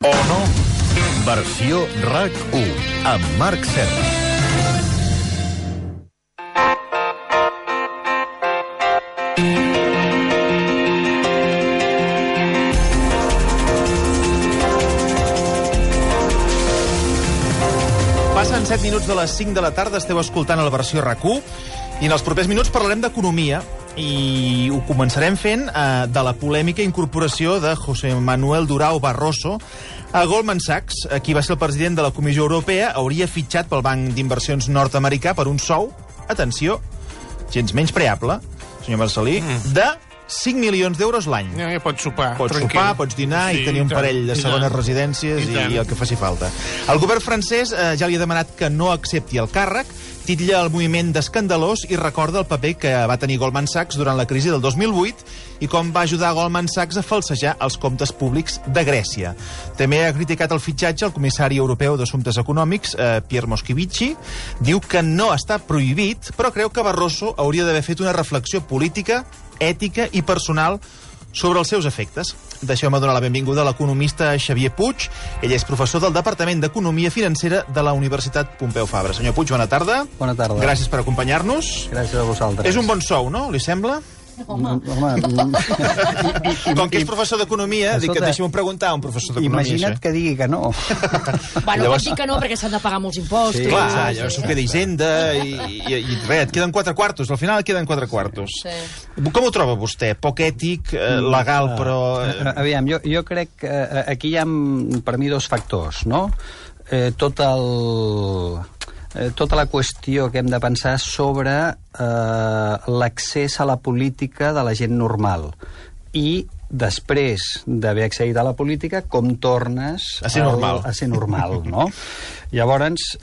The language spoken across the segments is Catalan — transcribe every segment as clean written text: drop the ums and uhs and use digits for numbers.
O no? Versió RAC1 amb Marc Serra. Passen 7 minuts de les 5 de la tarda, esteu escoltant la versió RAC1 i en els propers minuts parlarem d'economia i ho començarem fent de la polèmica incorporació de José Manuel Durão Barroso a Goldman Sachs. Qui va ser el president de la Comissió Europea hauria fitxat pel banc d'inversions nord-americà per un sou, atenció, gens menyspreable, senyor Marcelí, de 5 milions d'euros l'any. Ja pots sopar. Pots sopar, pots dinar i tenir un parell de segones residències i el que faci falta. El govern francès ja li ha demanat que no accepti el càrrec, titlla el moviment d'escandalós i recorda el paper que va tenir Goldman Sachs durant la crisi del 2008 i com va ajudar Goldman Sachs a falsejar els comptes públics de Grècia. També ha criticat el fitxatge el comissari europeu d'Assumptes Econòmics, Pierre Moscovici. Diu que no està prohibit, però creu que Barroso hauria d'haver fet una reflexió política, ètica i personal sobre els seus efectes. Deixeu-me donar la benvinguda a l'economista Xavier Puig. Ell és professor del Departament d'Economia Financera de la Universitat Pompeu Fabra. Senyor Puig, bona tarda. Bona tarda. Gràcies per acompanyar-nos. Gràcies a vosaltres. És un bon sou, no? Li sembla? Home. Com que és professor d'economia, dic que deixem preguntar a un professor d'economia. Imagina't que digui que no. Bueno, pot dir que no, perquè s'han de pagar molts impostos. Sí, clar, llavors s'ho queda Hisenda i res, et queden 4 quartos. Al final et queden 4 quartos. Sí. Com ho troba vostè? Poc ètic, legal, però... Aviam, jo crec que aquí hi ha, per mi, 2 factors, no? Tota la qüestió que hem de pensar sobre l'accés a la política de la gent normal i després d'haver accedit a la política, com tornes a ser normal, no? Llavors,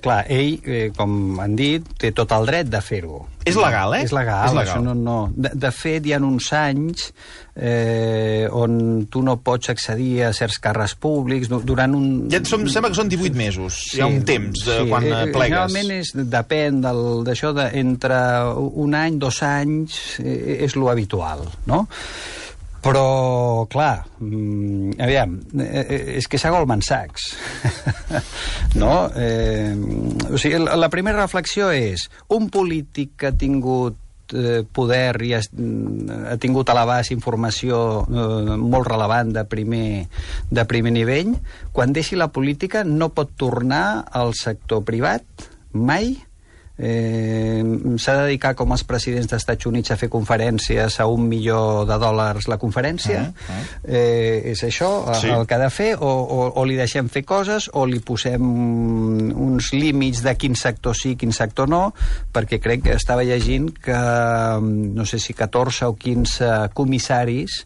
clar, ell, com han dit, té tot el dret de fer-ho. És legal, eh? És legal. Això no. De fet, hi ha uns anys on tu no pots accedir a certs càrrecs públics durant un... Ja sembla que són 18 mesos. Sí, hi ha un temps quan plegues. Generalment depèn d'això entre un any, 2 anys, és lo habitual, no? Però, clar, aviam, és que és a Goldman Sachs, no? O sigui, la primera reflexió és, un polític que ha tingut poder i ha tingut a l'abast informació molt relevant de primer nivell, quan deixi la política no pot tornar al sector privat, mai. S'ha de dedicar, com els presidents dels Estats Units, a fer conferències a $1 milió la conferència. És això el que ha de fer, o li deixem fer coses o li posem uns límits de quin sector sí, quin sector no, perquè crec que estava llegint que no sé si 14 o 15 comissaris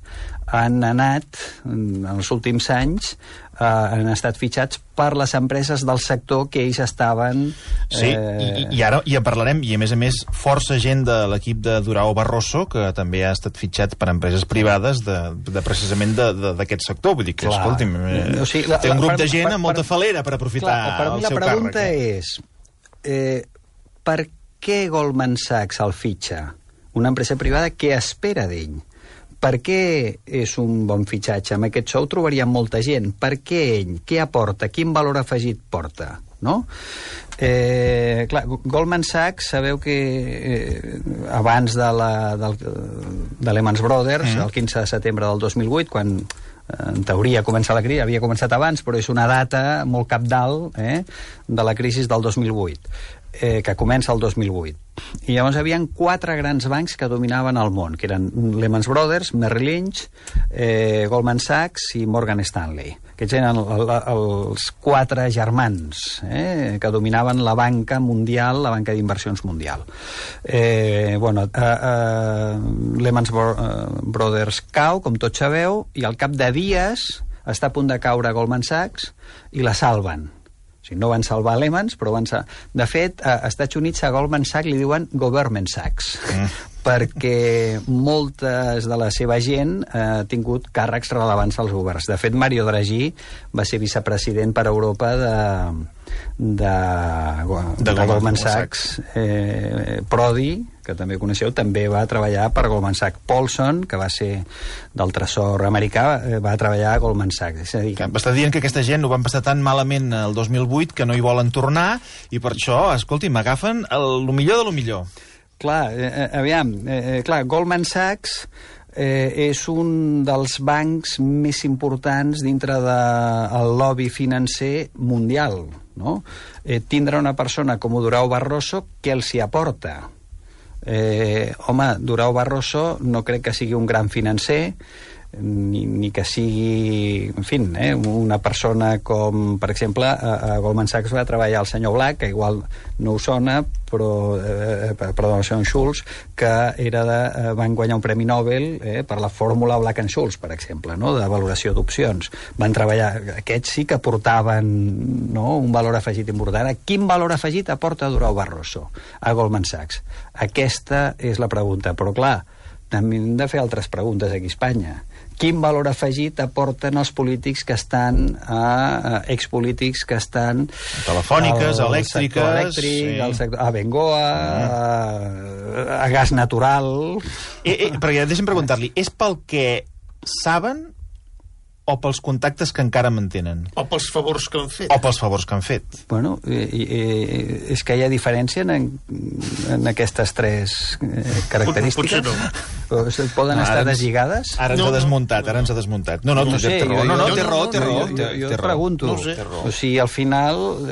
han anat en els últims anys, han estat fitxats per les empreses del sector que ells estaven... Sí, i ara ja parlarem, i a més, força gent de l'equip de Durão Barroso, que també ha estat fitxat per empreses privades precisament d'aquest sector. Vull dir que, escolti'm, té un grup de gent amb molta falera per aprofitar el seu càrrec. Per mi la pregunta és, per què Goldman Sachs el fitxa? Una empresa privada, què espera d'ell? Per què és un bon fitxatge? Amb aquest sou trobaríem molta gent. Per què ell? Què aporta? Quin valor afegit porta? No? Clar, Goldman Sachs, sabeu que abans de Lehman Brothers, el 15 de setembre del 2008, quan en teoria comença la crisi, havia començat abans, però és una data molt cabdal de la crisi del 2008. Que comença el 2008. I llavors hi havia 4 grans bancs que dominaven el món, que eren Lehman Brothers, Merrill Lynch, Goldman Sachs i Morgan Stanley. Aquests eren els 4 germans que dominaven la banca mundial, la banca d'inversions mundial. Lehman Brothers cau, com tots sabeu, i al cap de dies està a punt de caure Goldman Sachs i la salven. O sigui, no van salvar Lehman, però van salvar... De fet, a Estats Units a Goldman Sachs li diuen Government Sachs, perquè moltes de la seva gent ha tingut càrrecs rellevants als governs. De fet, Mario Draghi va ser vicepresident per Europa de Goldman Sachs. Prodi, que també coneixeu, també va treballar per Goldman Sachs. Paulson, que va ser del Tresor americà, va treballar a Goldman Sachs. És a dir, m'està dient que aquesta gent ho van passar tan malament el 2008 que no hi volen tornar, i per això, escolti, m'agafen el millor de lo millor. Clar, Goldman Sachs és un dels bancs més importants dintre del lobby financer mundial, no? Tindre una persona com Durão Barroso, què els hi aporta? Home, Durão Barroso no crec que sigui un gran financer, ni que sigui, en fi, una persona com, per exemple, a Goldman Sachs va treballar el senyor Black, que igual no us sona, però, perdó, el senyor Schultz, que van guanyar un premi Nobel per la fórmula Black and Scholes, per exemple, no?, de valoració d'opcions. Van treballar, aquests sí que aportaven, no?, un valor afegit important. Quin valor afegit aporta Durão Barroso a Goldman Sachs? Aquesta és la pregunta, però clar, també hem de fer altres preguntes aquí a Espanya. Quin valor afegit aporten els polítics que estan, expolítics que estan... Telefòniques, elèctriques... A Bengoa, a gas natural... Perquè deixa'm preguntar-li, és pel que saben o pels contactes que encara mantenen? O pels favors que han fet. O pels favors que han fet. Bueno, és que hi ha diferència en aquestes tres característiques. Potser no. Poden estar deslligades? Ara ens ha desmuntat. No, té raó. Jo et pregunto. O sigui, al final,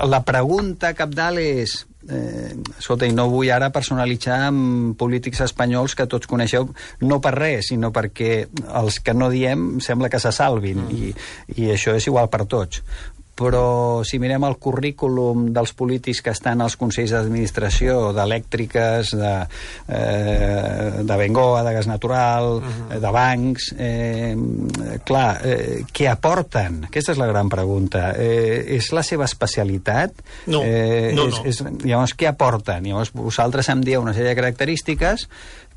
la pregunta cabdal és... escolta, i no vull ara personalitzar amb polítics espanyols que tots coneixeu, no per res, sinó perquè els que no diem sembla que se salvin, i això és igual per tots. Però si mirem el currículum dels polítics que estan als consells d'administració d'elèctriques, de Bengoa, de gas natural, de bancs, clar, què aporten? Aquesta és la gran pregunta. És la seva especialitat? No. Llavors, què aporten? Llavors, vosaltres em dieu una sèrie de característiques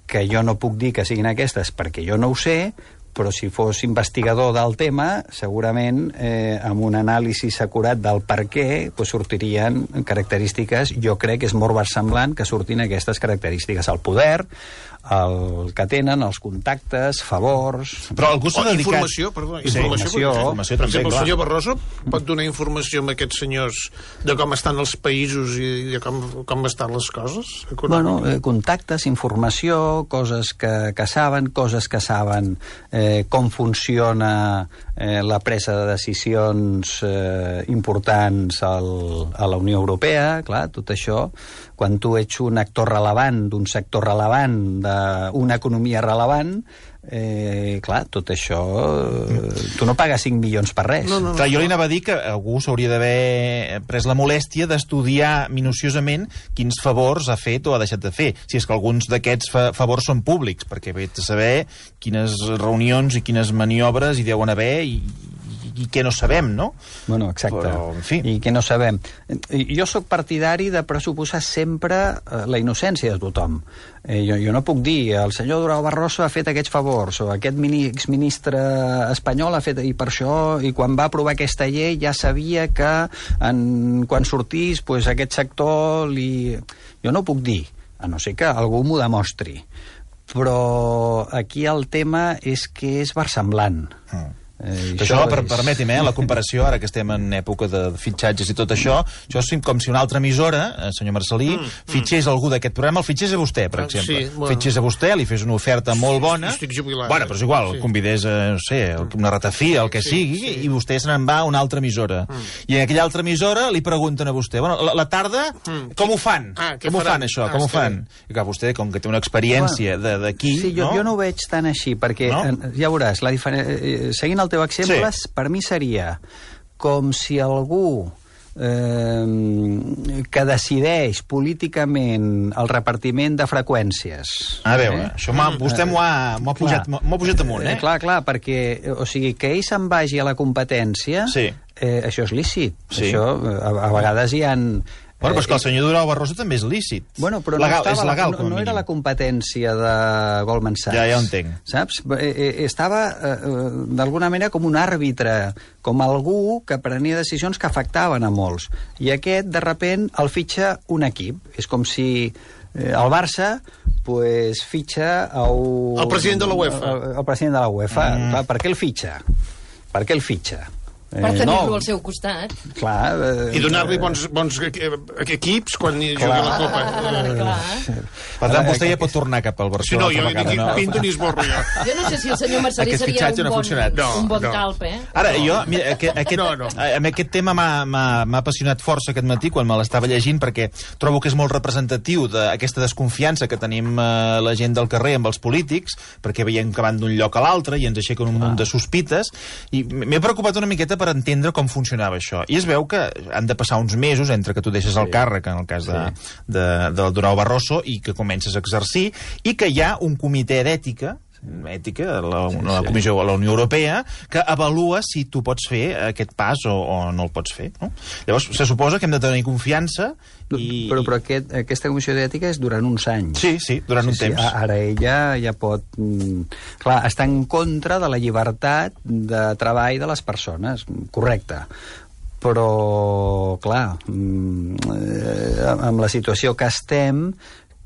que jo no puc dir que siguin aquestes perquè jo no ho sé, però si fos investigador del tema, segurament amb un anàlisi acurat del per què sortirien característiques, jo crec que és molt versemblant que surtin aquestes característiques. El poder, el que tenen, els contactes, favors... Però algú s'ha dedicat... Informació, perdó. Informació també, per exemple, clar. el senyor Barroso pot donar informació a aquests senyors de com estan els països i de com estan les coses? Bueno, contactes, informació, coses que saben, com funciona la presa de decisions importants a la Unió Europea, clar, tot això, quan tu ets un actor rellevant d'un sector rellevant, d'una economia rellevant, clar, tot això tu no pagues 5 milions per res. No. Clar, jo li anava a dir que algú s'hauria d'haver pres la molèstia d'estudiar minuciosament quins favors ha fet o ha deixat de fer, si és que alguns d'aquests favors són públics, perquè ve a saber quines reunions i quines maniobres hi deuen haver i què no sabem, no? Bueno, exacte. Però, en fi. I què no sabem. Jo sóc partidari de pressuposar sempre la innocència de tothom. Jo no puc dir, el senyor Durão Barroso ha fet aquests favors, o aquest exministre espanyol ha fet, i per això, i quan va aprovar aquesta llei ja sabia que quan sortís aquest sector jo no puc dir, a no ser que algú m'ho demostri. Però aquí el tema és que és versemblant. Això, permeti'm, la comparació, ara que estem en època de fitxatges i tot això és com si una altra emissora, senyor Marcelí, fitxés algú d'aquest programa, el fitxés a vostè, per exemple. Sí, bueno. Fitxés a vostè, li fes una oferta molt bona. Estic jubilat. Bueno, però és igual, el convidés a, no sé, una ratafia, el que sigui, i vostè se n'en va a una altra emissora. I en aquella altra emissora li pregunten a vostè, bueno, la tarda, com ho fan? Com ho fan, això? Com ho fan? I clar, vostè, com que té una experiència d'aquí... Sí, jo no ho veig tan així, perquè ja veuràs, seguint el teu exemple, per mi seria com si algú que decideix políticament el repartiment de freqüències. A veure, això vostè m'ho ha pujat amunt, Clar, perquè, o sigui, que ell se'n vagi a la competència, això és lícit. Això, a vegades hi ha Bueno, però és que el senyor Durão Barroso també és lícit. Bueno, però és legal, no era la competència de Goldman Sachs. Ja ho entenc. Saps? Estava, d'alguna manera, com un àrbitre, com algú que prenia decisions que afectaven a molts. I aquest, de repent, el fitxa un equip. És com si el Barça fitxa el president de la UEFA. El president de la UEFA. Per què el fitxa? Per què el fitxa? Per tenir-lo al seu costat. Clar. I donar-li bons equips quan jugui la Copa. Clar. Per tant, vostè ja pot tornar cap al Barcelona. Si no, jo pinto ni esborro jo. Jo no sé si el senyor Marcelí seria un bon talp, eh? Ara, jo, mira, aquest tema m'ha apassionat força aquest matí quan me l'estava llegint, perquè trobo que és molt representatiu d'aquesta desconfiança que tenim la gent del carrer amb els polítics, perquè veiem que van d'un lloc a l'altre i ens aixequen un munt de sospites, i m'he preocupat una miqueta per entendre com funcionava això. I es veu que han de passar uns mesos entre que tu deixes el càrrec, en el cas del Durão Barroso, i que comences a exercir, i que hi ha un comitè d'ètica, la Comissió de la Unió Europea, que avalua si tu pots fer aquest pas o no el pots fer. No? Llavors, se suposa que hem de tenir confiança i... Però aquesta comissió d'ètica és durant uns anys. Sí, durant un temps. Ara ella ja pot... Clar, està en contra de la llibertat de treball de les persones, correcte. Però, clar, amb la situació que estem...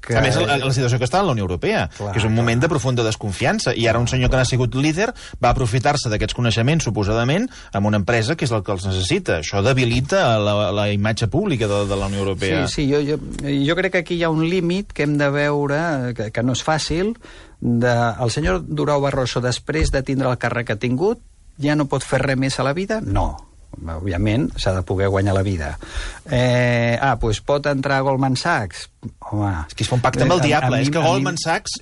A més, la situació que està en la Unió Europea, que és un moment de profunda desconfiança, i ara un senyor que n'ha sigut líder va aprofitar-se d'aquests coneixements, suposadament, amb una empresa que és el que els necessita. Això debilita la imatge pública de la Unió Europea. Sí, jo crec que aquí hi ha un límit que hem de veure, que no és fàcil, el senyor Durão Barroso, després de tindre el càrrec que ha tingut, ja no pot fer res més a la vida? No. Òbviament, s'ha de poder guanyar la vida. Doncs pot entrar a Goldman Sachs? Home... És que es fa un pacte amb el diable, és que Goldman Sachs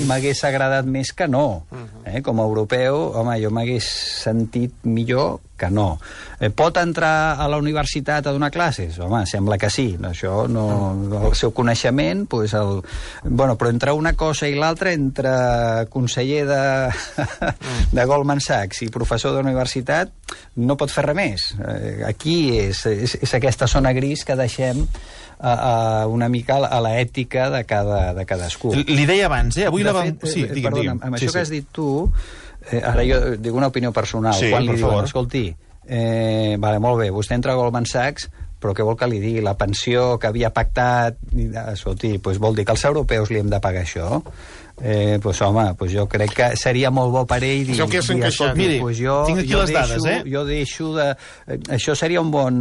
m'hagués agradat més que no. Com a europeu, home, jo m'hagués sentit millor que no. Pot entrar a la universitat a donar classes? Home, sembla que sí. Això no... El seu coneixement, bueno, però entre una cosa i l'altra, entre conseller de Goldman Sachs i professor d'universitat, no pot fer res més. Aquí és aquesta zona gris que deixem una mica a l'ètica de cadascú. Li deia abans, avui perdona, amb això que has dit tu, ara jo dic una opinió personal, quan li diuen, escolti, molt bé, vostè entra a Goldman Sachs, però què vol que li digui? La pensió que havia pactat, escolti, vol dir que els europeus li hem de pagar això? Home, jo crec que seria molt bo per ell dir, miri, tinc aquí les dades, jo deixo de... Això seria un bon,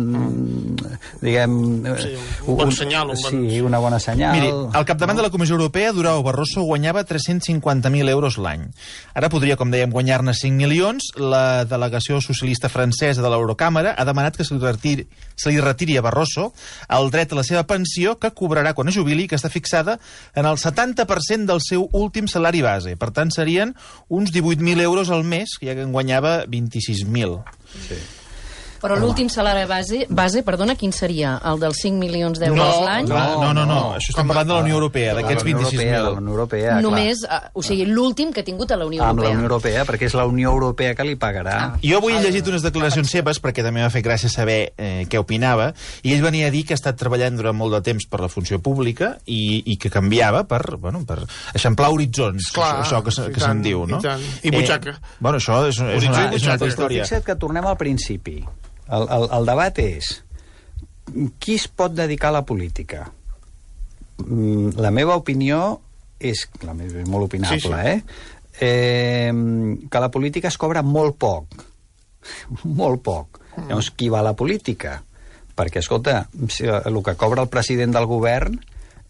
diguem... un bon senyal. Sí, una bona senyal. Miri, al capdavant de la Comissió Europea, Durão Barroso guanyava 350.000 euros l'any. Ara podria, com dèiem, guanyar-ne 5 milions. La delegació socialista francesa de l'Eurocàmera ha demanat que se li retiri a Barroso el dret a la seva pensió, que cobrarà quan es jubili, que està fixada en el 70% del seu últim salari base. Per tant, serien uns 18.000 euros al mes, ja que en guanyava 26.000. Sí. Però l'últim salari base, perdona, quin seria? El dels 5 milions d'euros l'any? No. Això estem parlant de la Unió Europea, d'aquests 26.000. De la Unió Europea, només, o sigui, l'últim que ha tingut a la Unió Europea. Amb la Unió Europea, perquè és la Unió Europea que li pagarà. Jo avui he llegit unes declaracions seves, perquè també m'ha fet gràcia saber què opinava, i ell venia a dir que ha estat treballant durant molt de temps per la funció pública i que canviava per eixamplar horitzons, això que se'n diu, no? I butxaca. Bueno, això és una altra història. Fixa't que tornem al principi. El debat és qui es pot dedicar a la política? La meva opinió és molt opinable, que la política es cobra molt poc. Molt poc. Llavors, qui va a la política? Perquè, escolta, el que cobra el president del govern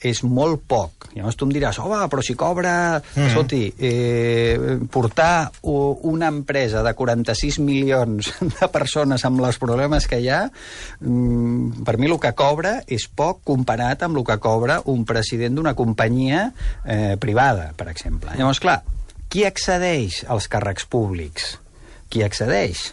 és molt poc. Llavors tu em diràs, però si cobra... Escolti, portar una empresa de 46 milions de persones amb els problemes que hi ha, per mi el que cobra és poc comparat amb el que cobra un president d'una companyia privada, per exemple. Llavors, clar, qui accedeix als càrrecs públics? Qui accedeix?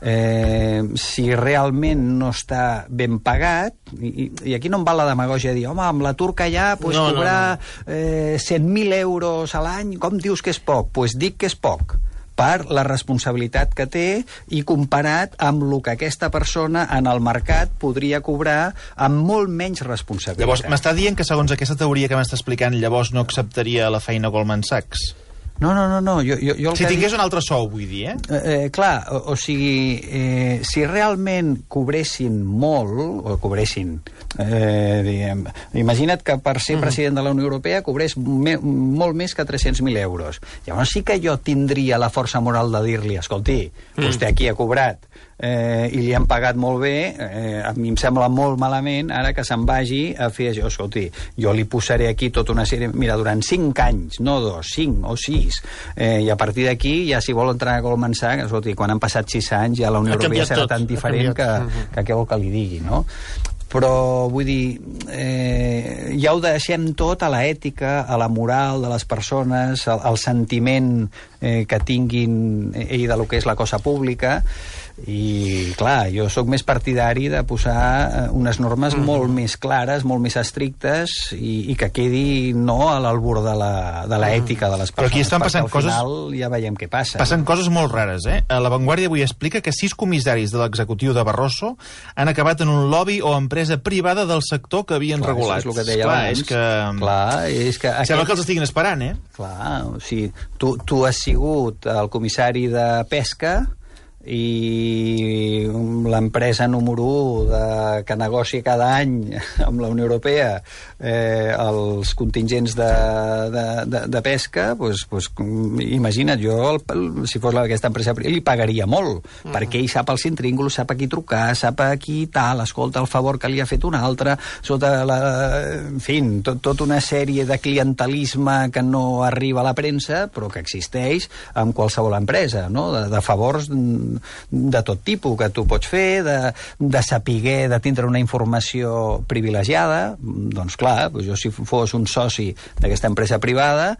Si realment no està ben pagat, i aquí no em val la demagògia de dir, amb l'atur que hi ha, cobrar 100.000 euros a l'any, com dius que és poc? Doncs dic que és poc, per la responsabilitat que té i comparat amb el que aquesta persona en el mercat podria cobrar amb molt menys responsabilitat. Llavors, m'està dient que segons aquesta teoria que m'està explicant, llavors no acceptaria la feina Goldman Sachs? No. Jo si tingués un altre sou, vull dir, clar, o sigui, si realment cobressin molt, o cobressin, diguem, imagina't que per ser president de la Unió Europea cobrés molt més que 300.000 euros. Llavors sí que jo tindria la força moral de dir-li, escolti, vostè aquí ha cobrat i li han pagat molt bé, a mi em sembla molt malament ara que se'n vagi a fer això. Escolti, jo li posaré aquí tota una sèrie, mira, durant 5 anys, no 2, 5 o 6, i a partir d'aquí ja si vol entrar a Goldman Sachs, escolti, quan han passat 6 anys ja la Unió Europea serà tan diferent que què vol que li digui, no? Però, vull dir, ja ho deixem tot a l'ètica, a la moral de les persones, al sentiment que tinguin ell de lo que és la cosa pública, i, clar, jo sóc més partidari de posar unes normes molt més clares, molt més estrictes, i que quedi no a l'albur de l'ètica de les persones. Però aquí estan passant coses... Al final ja veiem què passa. Passen coses molt rares, La Vanguardia avui explica que 6 comissaris de l'executiu de Barroso han acabat en un lobby o empresa privada del sector que havien regulat. És el que deia abans. És que sembla que els estiguin esperant, Clar, o sigui, tu has sigut el comissari de Pesca i l'empresa número 1 que negocia cada any amb la Unió Europea els contingents de pesca, doncs imagina't, jo si fos aquesta empresa li pagaria molt, perquè ell sap els intrínguls, sap a qui trucar, sap a qui tal, escolta el favor que li ha fet un altre, en fi, tota una sèrie de clientelisme que no arriba a la premsa però que existeix en qualsevol empresa, no? De favors de tot tipus que tu pots fer, de saber, de tindre una informació privilegiada. Doncs clar, jo si fos un soci d'aquesta empresa privada,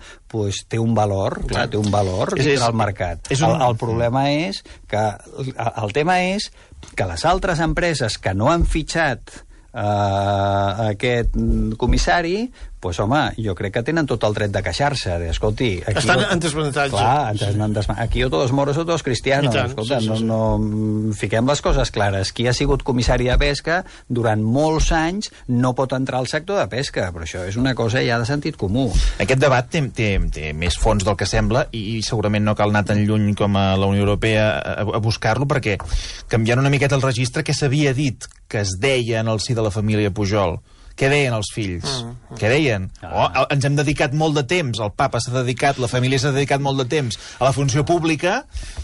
té un valor, clar, té un valor dintre el mercat. El problema és que el tema és que les altres empreses que no han fitxat aquest comissari, doncs, home, jo crec que tenen tot el dret de queixar-se. Escolti, aquí estan en desavantatge. Clar, aquí o todos moros o todos cristianos. Escolta, no fiquem les coses clares. Qui ha sigut comissari de pesca durant molts anys no pot entrar al sector de pesca, però això és una cosa ja de sentit comú. Aquest debat té més fons del que sembla i segurament no cal anar tan lluny com a la Unió Europea a buscar-lo, perquè canviant una miqueta el registre, què s'havia dit que es deia en el si de la família Pujol? Què deien els fills? Què deien? Ens hem dedicat molt de temps, el papa s'ha dedicat, la família s'ha dedicat molt de temps a la funció pública,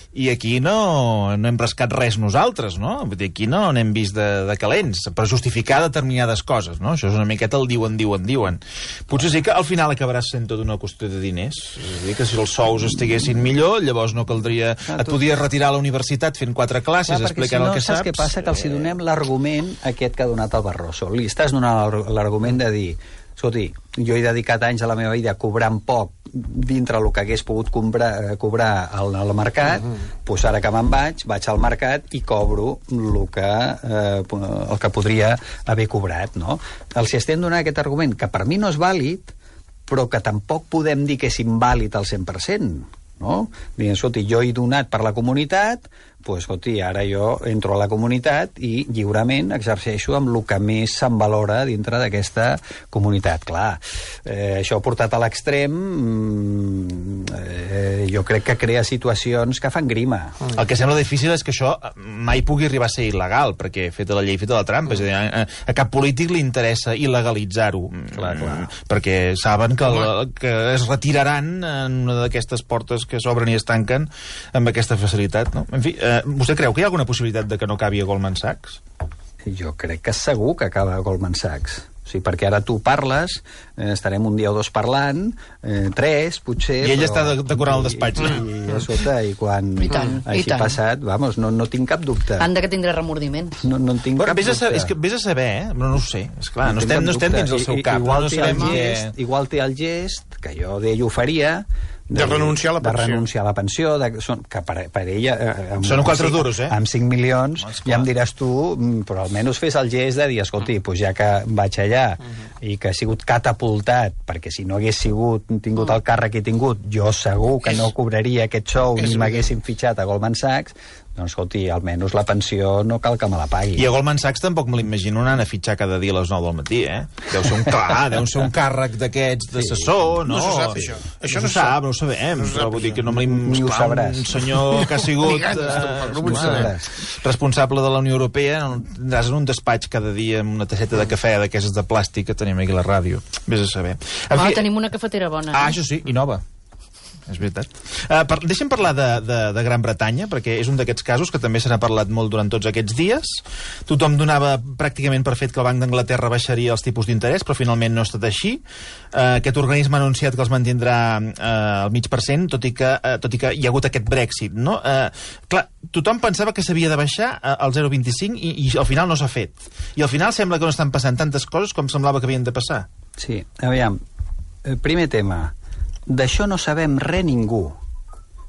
i aquí no hem rascat res nosaltres, no? Aquí no n'hem vist de calents, per justificar determinades coses, no? Això és una miqueta el diuen. Potser sí que al final acabaràs sent tot una qüestió de diners. És a dir, que si els sous estiguessin millor, llavors no caldria... Et podies retirar a la universitat fent 4 classes explicant el que saps. Saps què passa? Que els donem l'argument aquest que ha donat el Barroso. Li estàs donant l'argument de dir, escolti, jo he dedicat anys a la meva vida cobrant poc dintre el que hagués pogut cobrar al mercat, doncs ara que me'n vaig al mercat i cobro el que podria haver cobrat, no? Els estem donant aquest argument, que per mi no és vàlid, però que tampoc podem dir que és invàlid al 100%, no? Dient, escolti, jo he donat per la comunitat, doncs, escolti, ara jo entro a la comunitat i lliurement exerceixo amb el que més se'n valora dintre d'aquesta comunitat. Clar, això portat a l'extrem jo crec que crea situacions que fan grima. El que sembla difícil és que això mai pugui arribar a ser il·legal, perquè feta la llei, feta la trampa. És a dir, a cap polític li interessa il·legalitzar-ho. Clar. Perquè saben que es retiraran en una d'aquestes portes que s'obren i es tanquen amb aquesta facilitat, no? En fi, vostè creu que hi ha alguna possibilitat de que no acabi a Goldman Sachs? Jo crec que segur que acaba a Goldman Sachs. O sigui, perquè ara tu parles, estarem un dia o dos parlant, 3, potser... I ell està decorant el despatx. I quan hagi passat, vamos, no tinc cap dubte. Han de que tindrà remordiments. No en tinc cap dubte. És que vés a saber, però no ho sé. Esclar, no estem dins del seu cap. Igual té el gest, que jo d'ell ho faria, De renunciar a la pensió. De renunciar a la pensió, que per ella... Són 4 duros, Amb 5 milions, ja em diràs tu, però almenys fes el gest de dir, escolti, pues ja que vaig allà i que ha sigut catapultat, perquè si no hagués tingut el càrrec que he tingut, jo segur que no cobraria aquest sou ni m'haguessin fitxat a Goldman Sachs, doncs, escolti, almenys la pensió no cal que me la pagui. I a Goldman Sachs tampoc me l'imagino anant a fitxar cada dia a les 9 del matí, Deu ser un càrrec d'aquests d'assessor, no? No se sap, això. Això no se sap, no ho sabem. Però vull dir que no me ni ho sabràs. Un senyor que ha sigut responsable de la Unió Europea, tindràs en un despatx cada dia amb una tasseta de cafè d'aquestes de plàstic que tenim aquí a la ràdio. Vés a saber. Tenim una cafetera bona. Això sí, i nova. És veritat. Deixem parlar de Gran Bretanya, perquè és un d'aquests casos que també se n'ha parlat molt durant tots aquests dies. Tothom donava pràcticament per fet que el Banc d'Anglaterra baixaria els tipus d'interès, però finalment no ha estat així. Aquest organisme ha anunciat que els mantindrà al 0,5%, tot i que hi ha hagut aquest Brexit, no? Clar, tothom pensava que s'havia de baixar al 0,25 i al final no s'ha fet. I al final sembla que no estan passant tantes coses com semblava que havien de passar. Sí, aviam, primer tema, d'això no sabem res ningú.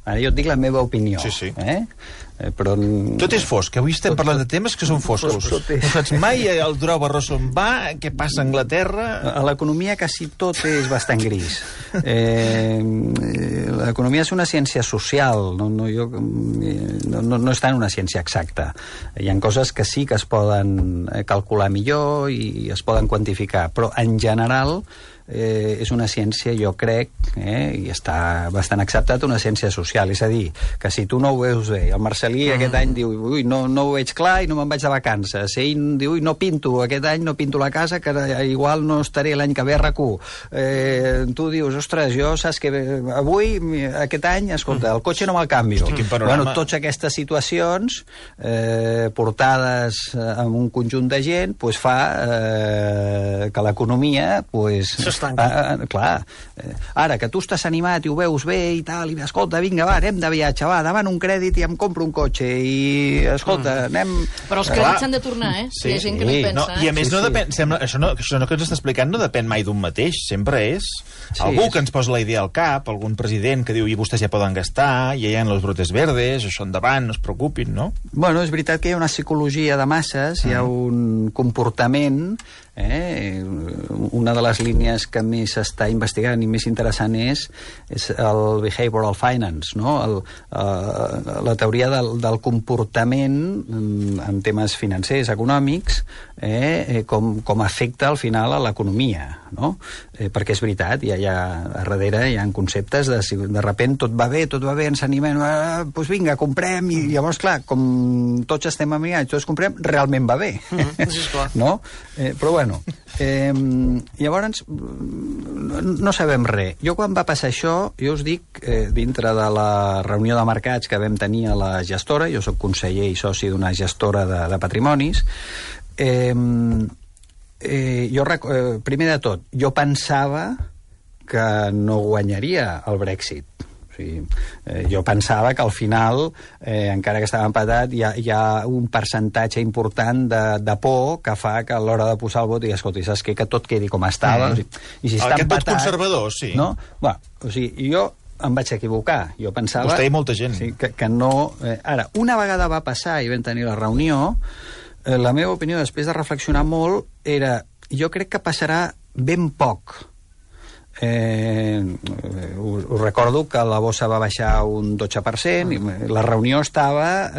Ara jo et dic la meva opinió. Sí. Però... Tot és fosc. Avui estem parlant de temes que són foscos. No saps mai el Durau Barroso on va, què passa a Anglaterra... A l'economia quasi tot és bastant gris. L'economia és una ciència social, no està en una ciència exacta. Hi ha coses que sí que es poden calcular millor i es poden quantificar, però en general és una ciència, jo crec, i està bastant acceptat, una ciència social. És a dir, que si tu no ho veus bé, el Marcelí aquest any diu, ui, no ho veig clar i no me'n vaig de vacances. Ell diu, ui, no pinto, aquest any no pinto la casa, que igual no estaré l'any que ve a RAC1. Tu dius, ostres, jo saps que avui, aquest any, escolta, el cotxe no me'l canvio. Bueno, totes aquestes situacions portades amb un conjunt de gent pues, fa que l'economia pues, clar, ara que tu estàs animat i ho veus bé i tal, i escolta, vinga, va, anem de viatge, va, davant un crèdit i em compro un cotxe i, escolta, anem... Però els crèdits s'han de tornar, Sí, hi ha gent que no hi pensa. I a més no depèn, sembla, això que ens està explicant no depèn mai d'un mateix, sempre és algú que ens posa la idea al cap, algun president que diu, i vostès ja poden gastar, ja hi ha los brotes verdes, això endavant, no es preocupin, no? Bueno, és veritat que hi ha una psicologia de masses, hi ha un comportament, una de les línies que més s'està investigant i més interessant és el behavioral finance, no? La teoria del comportament en temes financers, econòmics, com afecta al final a l'economia, no? Perquè és veritat, a darrere hi ha conceptes de repent tot va bé, ens animem, doncs vinga, comprem, i llavors, clar, com tots estem amigats, tots comprem, realment va bé, no? Però bueno, llavors no sabem res. Jo quan va passar això, jo us dic, dintre de la reunió de mercats que vam tenir a la gestora, jo soc conseller i soci d'una gestora de patrimonis, primer de tot, jo pensava que no guanyaria el Brexit. Jo pensava que al final, encara que estava empatat, hi ha un percentatge important de por que fa que a l'hora de posar el vot i escolta, saps què? Que tot quedi com estava. I si està aquest empatat, vot conservador, sí. No? Bueno, o sigui, jo em vaig equivocar. Jo pensava... Vostè i molta gent. Sí, que no... Ara, una vegada va passar i vam tenir la reunió, la meva opinió, després de reflexionar molt, era... Jo crec que passarà ben poc. Us recordo que la bossa va baixar un 12%, i la reunió estava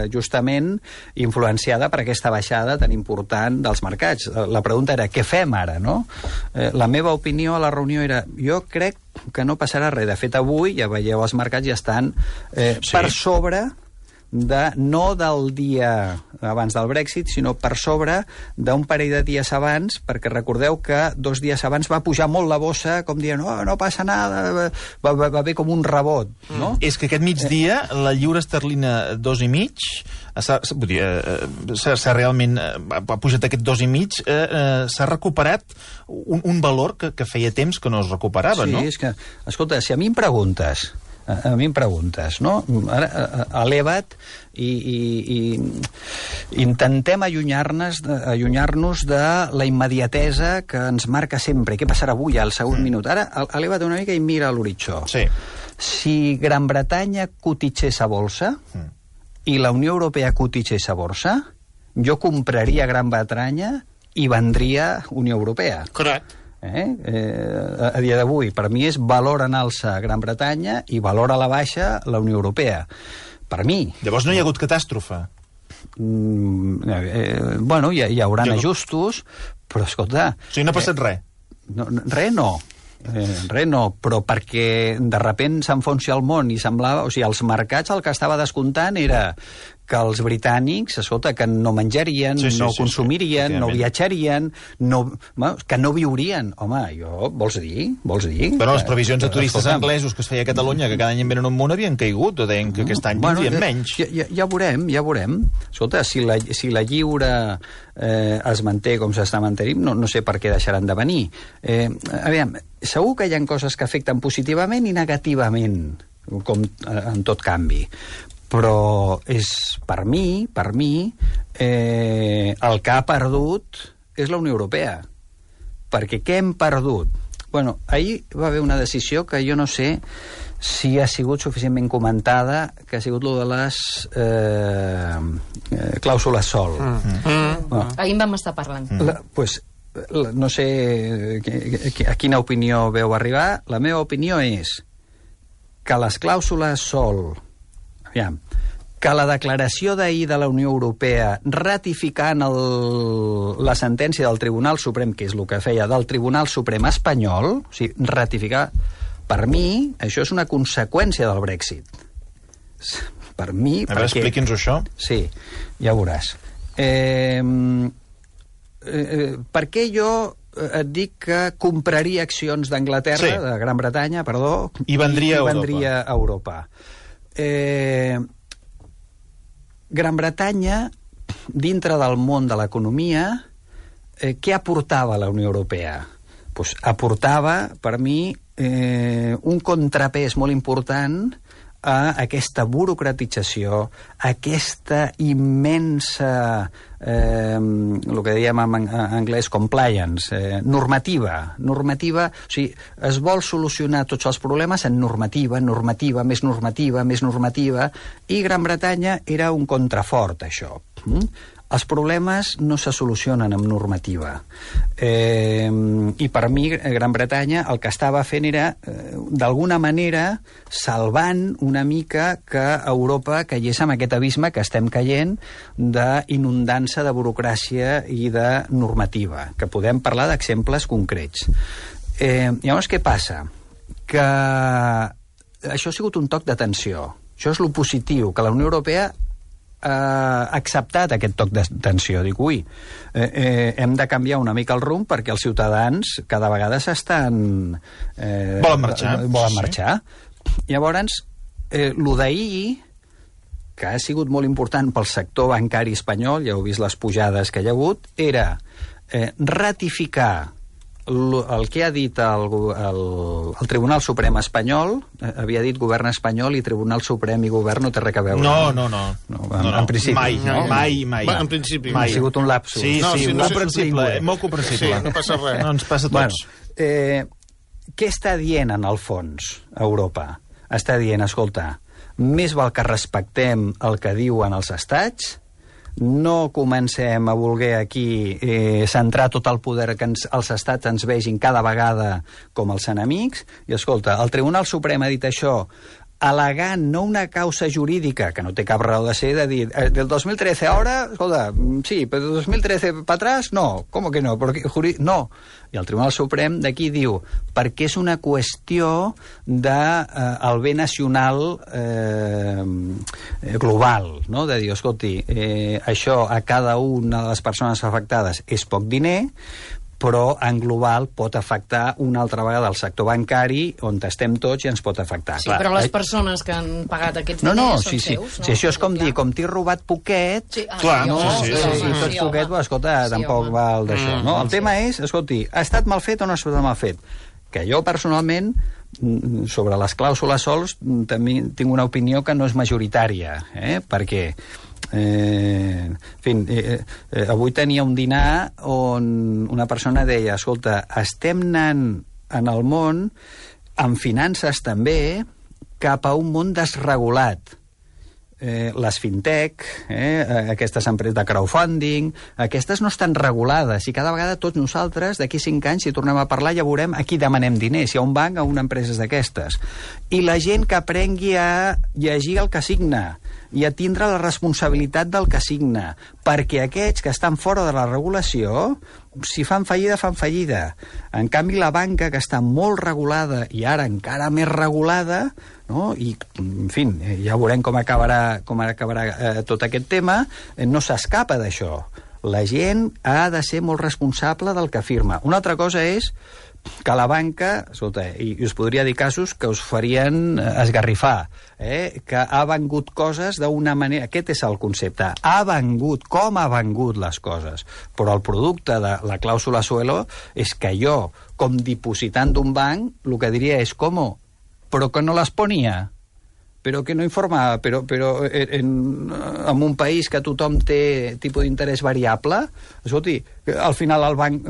justament influenciada per aquesta baixada tan important dels mercats. La pregunta era, què fem ara, no? La meva opinió a la reunió era, jo crec que no passarà res. De fet, avui, ja veieu, els mercats ja estan per sobre no del dia abans del Brexit, sinó per sobre d'un parell de dies abans, perquè recordeu que 2 dies abans va pujar molt la bossa, com dient, no passa nada, va haver com un rebot, no? És que aquest migdia la lliura esterlina 2,5 s'ha realment ha pujat aquest 2,5, s'ha recuperat un valor que feia temps que no es recuperava, no? Sí, és que, escolta, si a mi em preguntes, no? Ara, eleva't i Intentem allunyar-nos de la immediatesa que ens marca sempre. Què passarà avui, al segon minut? Ara, eleva't una mica i mira l'horitzó. Sí. Si Gran Bretanya cotitzés a borsa i la Unió Europea cotitzés a borsa, jo compraria Gran Bretanya i vendria Unió Europea. Correcte. A dia d'avui, per mi és valor en alça Gran Bretanya i valor a la baixa la Unió Europea. Per mi. Llavors no hi ha hagut catàstrofe. Bueno, hi haurà ajustos, però escolta... O sigui, no ha passat res. Res no. Res no, però perquè de repent s'enfonsi el món i semblava... O sigui, els mercats el que estava descomptant era que els britànics, escolta, que no menjarien, no consumirien, no viatjarien, que no viurien. Home, vols dir? Però les previsions de turistes anglesos que es feia a Catalunya, que cada any en venen un munt, havien caigut, o deien que aquest any vindrien menys. Ja veurem. Escolta, si la lliure es manté com s'està mantenint, no sé per què deixaran de venir. Aviam, segur que hi ha coses que afecten positivament i negativament, com en tot canvi. Però és, per mi, el que ha perdut és la Unió Europea. Perquè què hem perdut? Bueno, ahir va haver una decisió que jo no sé si ha sigut suficientment comentada, que ha sigut lo de les clàusules sol. Bueno. Ahir en vam estar parlant. No sé a quina opinió veu arribar. La meva opinió és que les clàusules sol... Aviam, que la declaració d'ahir de la Unió Europea ratificant la sentència del Tribunal Suprem, que és el que feia del Tribunal Suprem espanyol, o sigui, ratificar, per mi, això és una conseqüència del Brexit. Per mi... A veure, expliqui'ns això. Sí, ja veuràs. Per què jo et dic que compraria accions d'Anglaterra, de Gran Bretanya, perdó, i vendria a Europa? Gran Bretanya, dintre del món de l'economia, què aportava la Unió Europea? Pues aportava, per mi, un contrapès molt important a aquesta burocratització, aquesta immensa, el que diem en anglès compliance, normativa. O sigui, es vol solucionar tots els problemes en normativa, més normativa, i Gran Bretanya era un contrafort, això. Els problemes no se solucionen amb normativa. I per mi, Gran Bretanya, el que estava fent era, d'alguna manera, salvant una mica que Europa caigués en aquest abisme que estem caient d'inundant-se de burocràcia i de normativa, que podem parlar d'exemples concrets. Llavors, què passa? Que això ha sigut un toc d'atenció. Això és lo positiu, que la Unió Europea ha acceptat aquest toc d'atenció. Dic, hem de canviar una mica el rumb perquè els ciutadans cada vegada volen marxar. Llavors, lo d'ahir, que ha sigut molt important pel sector bancari espanyol, ja heu vist les pujades que hi ha hagut, era ratificar el que ha dit el Tribunal Suprem espanyol. Havia dit govern espanyol i Tribunal Suprem i govern no té res a veure. No. En principi. Mai. En principi. Ha sigut un lapsus. Sí, comprensible, molt comprensible. Sí, no passa res. No, ens passa a tots. Què està dient en el fons Europa? Està dient, escolta, més val que respectem el que diuen els estats, no comencem a voler aquí centrar tot el poder que els estats ens vegin cada vegada com els enemics. I escolta, el Tribunal Suprem ha dit això al·legant no una causa jurídica, que no té cap raó de ser, de dir, del 2013 ahora, escolta, sí, però del 2013 para atrás, no, ¿cómo que no? No. I el Tribunal Suprem d'aquí diu, perquè és una qüestió del bé nacional global, no? De dir, escolti, això a cada una de les persones afectades és poc diner, però en global pot afectar una altra vegada el sector bancari on estem tots i ens pot afectar. Sí, però les persones que han pagat aquests diners són seus. Sí, això és com dir, com t'he robat poquet, sí, tot poquet, escolta, tampoc val d'això. El tema és, escolti, ha estat mal fet o no ha estat mal fet? Que jo personalment, sobre les clàusules sols, també tinc una opinió que no és majoritària, perquè En fi, avui tenia un dinar on una persona deia, escolta, estem anant en el món, amb finances també, cap a un món desregulat. Les fintech, aquestes empreses de crowdfunding, aquestes no estan regulades i cada vegada tots nosaltres, d'aquí 5 anys, si tornem a parlar, ja veurem a qui demanem diners, si a un banc o a una empresa d'aquestes. I la gent que aprengui a llegir el que signa i a tindre la responsabilitat del que signa, perquè aquests que estan fora de la regulació, si fan fallida, fan fallida. En canvi, la banca, que està molt regulada i ara encara més regulada, no? I, en fi, ja veurem com acabarà tot aquest tema, no s'escapa d'això. La gent ha de ser molt responsable del que afirma. Una altra cosa és que la banca, escolta, i us podria dir casos que us farien esgarrifar, que ha vengut coses d'una manera... Aquest és el concepte. Ha vengut, com ha vengut les coses. Però el producte de la clàusula suelo és que jo, com dipositant d'un banc, el que diria és com, però que no les ponia, però que no informava, però en un país que tothom té tipus d'interès variable, escolti, al final el banc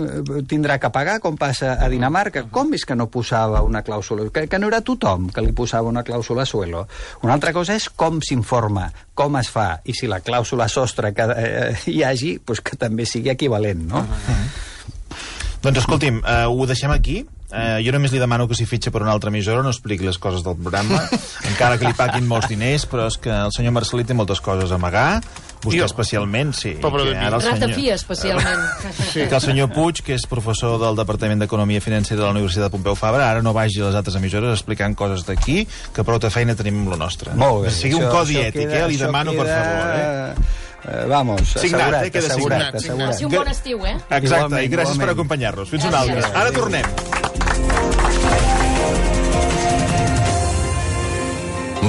tindrà que pagar, com passa a Dinamarca. Com és que no posava una clàusula? Que no era tothom que li posava una clàusula suelo. Una altra cosa és com s'informa, com es fa, i si la clàusula sostre que hi hagi, doncs que també sigui equivalent, no? Doncs escolti'm, ho deixem aquí. Jo només li demano que si fitxa per una altra emissora no expliqui les coses del programa, encara que li paguin molts diners, però és que el senyor Marcelí té moltes coses a amagar, vostè especialment, sí. Ratafia, especialment. Que el senyor Puig, que és professor del Departament d'Economia Financera de la Universitat Pompeu Fabra, ara no vagi a les altres emissores explicant coses d'aquí, que prou de feina tenim amb la nostra. Molt bé. Sigui un codi ètic, li demano, per favor. Vamos, signat, queda assegurat. Un bon estiu, Exacte, i gràcies per acompanyar-nos. Fins un altre. Ara tornem.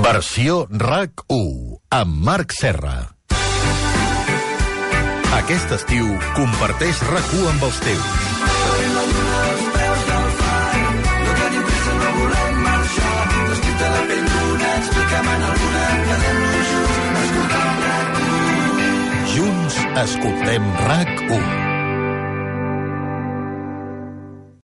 Versió RAC1 amb Marc Serra. Aquest estiu comparteix RAC1 amb els teus. Junts escoltem RAC1.